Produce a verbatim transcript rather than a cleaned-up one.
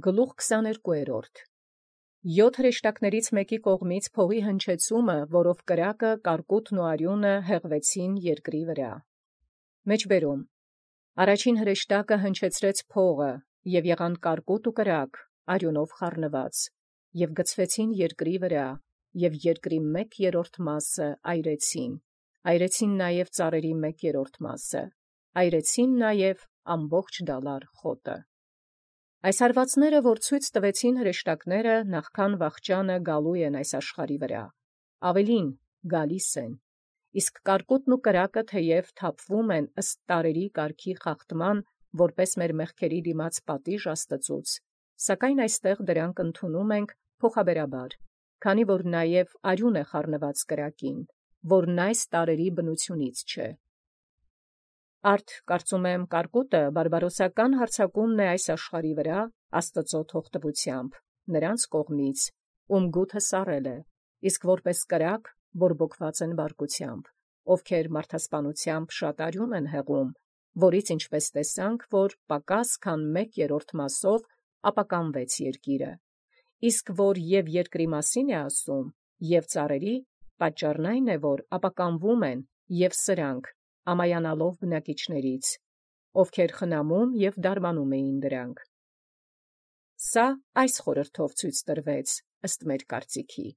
Գլուխ քսաներկու. Յոթ հրեշտակաց մեկի կողմից փողի հնչեցումը, որով կրակը, կարկուտն ու արիւնը հեղվեցին երկրի վրա։ Մեջբերում. Առաջին հրեշտակը հնչեցրեց փողը, և եղան կարկուտ ու կրակ, արիւնով խառնված, և գցվեցին երկրի վրա, և երկրի մեկ երրորդ մասը այրեցին, այրեցին նաև ծառերի մեկ երրորդ մասը, այրեցին նաև ամբողջ դալար խոտը։ Այս հարվածները, որ ցույց տվեցին հրեշտակները, նախքան վախճանը գալու են այս աշխարհի վրա, ավելին գալիս են, իսկ կարկուտն ու կրակը թեև թափվում են ըստ տարերի կարգի խախտման, որպես մեր մեղքերի դիմաց պատիժ Աստծուց, սակայն այստեղ դրանք ընդունում ենք փոխաբերաբար, քանի որ նաև արյուն է խառնված կրակին, որն այս տարերի բնությունից չէ։ Արդ կարծում եմ կարկուտը բարբարոսական հարձակումն է այս աշխարհի վրա Աստծո թողտվությամբ, նրանց կողմից, ում գութը սառել է, իսկ որպես կրակ բորբոքված են բարկությամբ, ովքեր մարդասպանությամբ շատ արյուն են հեղում, որից ինչպես տեսանք, որ պակաս քան մեկ երրորդ մասով ապականվեց երկիրը, իսկ որ և երկրի մասին է ասում, և ծառերի, պատճառն այն է, որ ապականվում են և սրանք, ամայանալով բնակիչներից, ովքեր խնամում և դարմանում էին դրանք։ Սա այս խորհրդով ցույց տրվեց ըստ մեր կարծիքի։